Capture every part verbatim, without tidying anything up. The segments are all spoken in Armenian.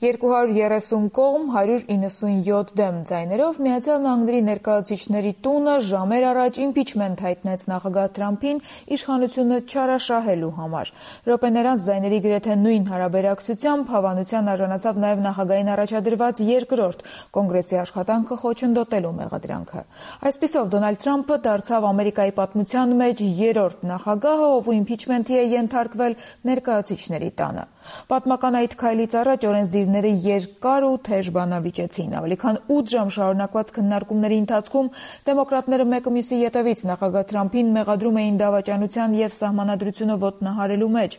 երկու հարյուր երեսուն կողմ, հարյուր իննսունյոթ դեմ ձայներով Միացյալ Նահանգների ներկայացուցիչների տունը ժամեր առաջ իմպիչմենթ հայտնեց նախագահ Թրամփին իշխանությունը չարաշահելու համար։ Րոպեներ անց ձայների գրեթե նույն հարաբերակցությամբ հավանության արժանացավ նաև նախագահին առաջադրված երկրորդ կոնգրեսի աշխատանքը խոչընդոտելու մեղադրանքը։ Այսպիսով Դոնալդ Թրամփը դարձավ Ամերիկայի պատմության մեջ երրորդ նախագահը, ով իմպիչմենթի է ենթարկվել ներկայացուցիչների տանը։ Պատմական այդ քայլից առաջ օրենսդիրները երկար ու թեժ բանավիճեցին։ Ավելի քան ութ ժամ շարունակված քննարկումների ընթացքում դեմոկրատները մեկը մյուսի ետևից նախագահ Թրամփին մեղադրում էին դավաճանության և սահմանադրությունը ոտնահարելու մեջ։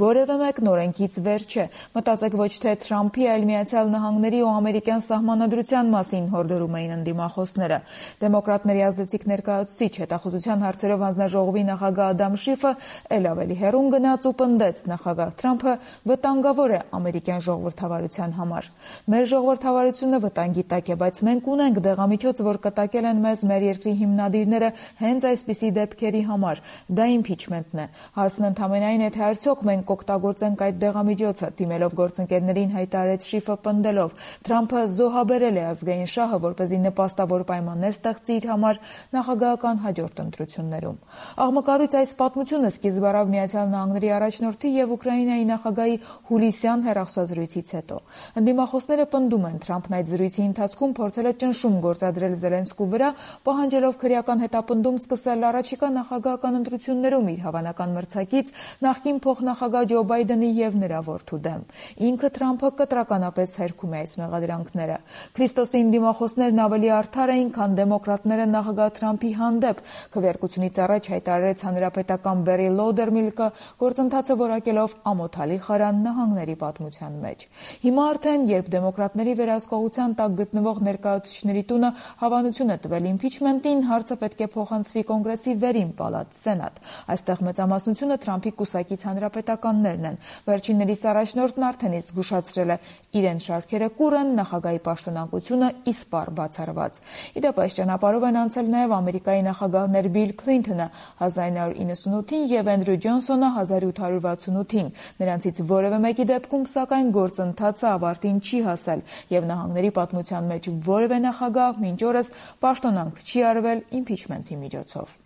Որևէ մեկն օրենքից վեր չէ։ Մտածեք ոչ թե Թրամփի, այլ Միացյալ Նահանգների ու ամերիկյան սահմանադրության մասին հորդորում էին ընդդիմախոսները։ Դեմոկրատների ազդեցիկ ներկայացուցիչ հետախուզության հարցերով հանձնաժողովի նախագահ Ադամ Շիֆը էլ ավելի հեռուն գնաց ու պնդեց նախագահ Թրամփը վտանգավոր է ամերիկյան ժողովրդավարության համար։ Մեր ժողովրդավարությունը վտանգի տակ է, բայց մենք ունենք դեղամիջոց, որ կտակել են մեզ մեր երկրի հիմնադիրները հենց այսպիսի դեպքերի համար։ Դա իմպիչմենթն է։ Հարցն ընդամենայն է, թե արդյոք մենք կօգտագործենք այդ դեղամիջոցը, դիմելով գործընկերներին հայտարարեց Շիֆը պնդելով. Թրամփը զոհաբերել է ազգային շահը, որպեսզի նպաստավոր պայմաններ ստեղծի իր համար նախագահական հաջորդ ընտրություններում։ Աղմկարույց այս պատմությունը սկիզբ առավ Միացյալ Նահանգների առաջնորդի և Ուկրաինայի նախագահի հուլիսյան հեռախոսազրույցից հետո։ Ընդդիմախոսները պնդում են, Թրամփն այդ զրույցի ընթացքում փորձել է ճնշում գործադրել Զելենսկու վրա, պահանջելով քրեական հետապնդում սկսել առաջիկա նախագահական ընտրություններում իր հավանական մրցակից նախկին փոխնախագահ Ջո Բայդենի և նրա որդու դեմ։ Ինքը Թրամփը կտրականապես հերքում է այս մեղադրանքները։ Քրիստոսի ընդդիմախոսներն ավելի արդար էին, քան դեմոկրատները նախագահ Թրամփի հանդեպ, քվեարկությունից առաջ հայտարարեց հանրապետական Բերի Լոուդերմիլկը, գործընթացը որակելով ամոթալի խարան նահանգների պատմության մեջ։ Հիմա արդեն, երբ դեմոկրատների վերահսկողության տակ գտնվող ներկայացուցիչների տունը հավանություն է տվել իմպիչմենտին, հարցը պետք է փոխանցվի կոնգրեսի վերին պալատ՝ Սենատ։ Այստեղ մեծամասնությունը Թրամփի կուսակից հանրապետականներն են։ Վերջիններիս առաջնորդն արդեն իսկ զգուշացրել է՝ իրենց շարքերը կուռ են, նախագահի պաշտոնակությունը իսպառ բացառված։ Ի դեպ, այս ճանապարհով են անցել նաև Ամերիկայի նախագահներ Բիլ Քլինթոնը հազար նույն հարյուր իննսունութին և Էնդրյու Ջոնսոնը հազար ութ հարյուր վաթսունութին։ Նրանցից որևէ մեկի դեպքում, սակայն, գործընթացը ավարտին չի հասել, և նահանգների պատմության մեջ որևէ նախագահ մինչ օրս պաշտոնանկ չի արվել իմպիչմենթի միջոցով։